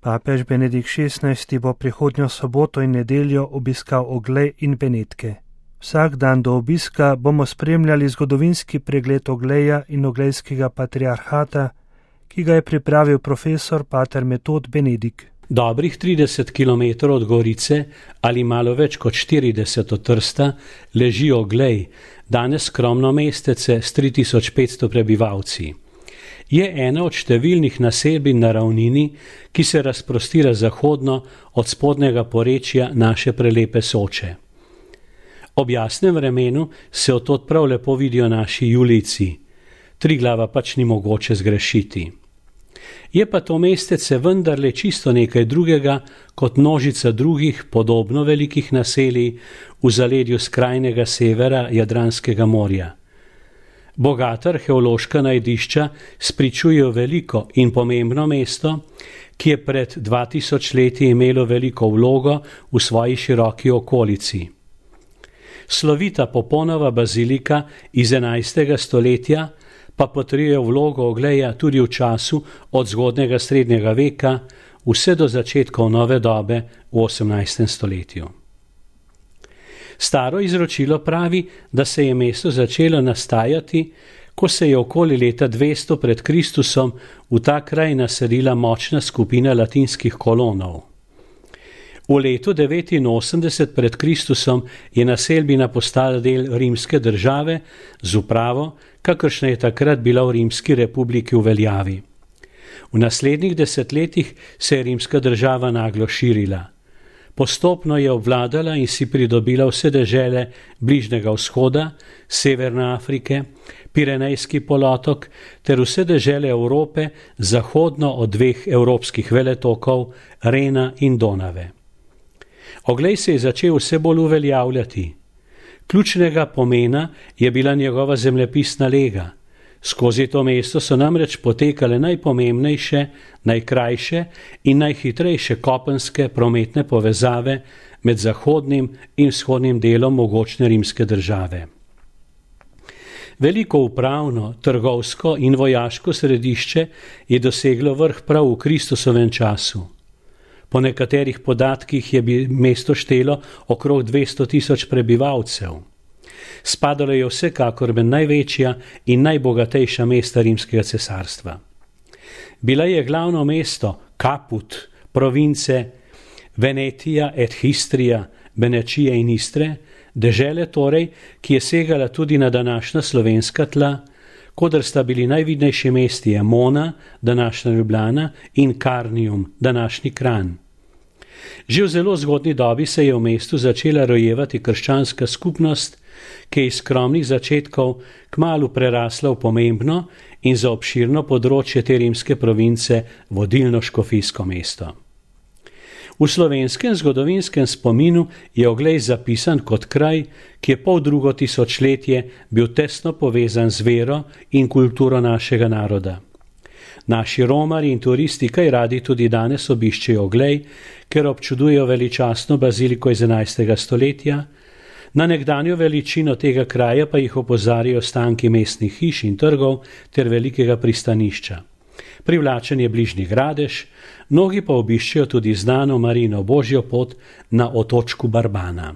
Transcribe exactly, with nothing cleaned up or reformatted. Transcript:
Papež Benedikt šestnajsti bo prihodnjo soboto in nedeljo obiskal Oglej in Benetke. Vsak dan do obiska bomo spremljali zgodovinski pregled Ogleja in Oglejskega patriarhata, ki ga je pripravil profesor pater Metod Benedikt. Dobrih trideset kilometrov od Gorice ali malo več kot štirideset od Trsta leži Oglej, danes skromno mestece s tri tisoč petsto prebivalci. Je ena od številnih naselbin na ravnini, ki se razprostira zahodno od spodnjega porečja naše prelepe Soče. Ob jasnem vremenu se odtod prav lepo vidijo naši Julijci, Triglava pač ni mogoče zgrešiti. Je pa to mestece vendarle čisto nekaj drugega kot množica drugih podobno velikih naselij v zaledju skrajnega severa Jadranskega morja. Bogata arheološka najdišča spričujejo veliko in pomembno mesto, ki je pred dva tisoč leti imelo veliko vlogo v svoji široki okolici. Slovita Poponova bazilika iz enajstega stoletja pa potrjuje vlogo Ogleja tudi v času od zgodnjega srednjega veka vse do začetkov nove dobe v osemnajstem stoletju. Staro izročilo pravi, da se je mesto začelo nastajati, ko se je okoli leta dvesto pred Kristusom v ta kraj naselila močna skupina latinskih kolonov. V letu devetinosemdeset pred Kristusom je naselbina postala del rimske države z upravo, kakršna je takrat bila v Rimski republiki v veljavi. V naslednjih desetletjih se je rimska država naglo širila. Postopno je obvladala in si pridobila vse dežele Bližnjega vzhoda, Severne Afrike, Pirenejski polotok ter vse dežele Evrope zahodno od dveh evropskih veletokov, Rena in Donave. Oglej se je začel vse bolj uveljavljati. Ključnega pomena je bila njegova zemljepisna lega. Skozi to mesto so namreč potekale najpomembnejše, najkrajše in najhitrejše kopenske prometne povezave med zahodnim in vzhodnim delom mogočne rimske države. Veliko upravno, trgovsko in vojaško središče je doseglo vrh prav v Kristusovem času. Po nekaterih podatkih je bi mesto štelo okrog dvesto tisoč prebivalcev. Spadalo je vsekakor med največja in najbogatejša mesta rimskega cesarstva. Bila je glavno mesto Caput, province Venetia et Histria, Benečije in Istre, dežele torej, ki je segala tudi na današnja slovenska tla, kodr sta bili najvidnejši mesti Emona, današnja Ljubljana, in Carnium, današnji Kranj. Že v zelo zgodnji dobi se je v mestu začela rojevati krščanska skupnost, ki je iz skromnih začetkov kmalu prerasla v pomembno in za obširno področje te rimske province vodilno škofijsko mesto. V slovenskem zgodovinskem spominu je Oglej zapisan kot kraj, ki je pol drugo tisočletje bil tesno povezan z vero in kulturo našega naroda. Naši romari in turisti kaj radi tudi danes obiščejo Oglej, ker občudujejo veličastno baziliko iz enajstega stoletja, na nekdanjo veličino tega kraja pa jih opozarjajo stanki mestnih hiš in trgov ter velikega pristanišča. Privlačen je bližnji Gradež, mnogi pa obiščejo tudi znano Marijino božjo pot na otočku Barbana.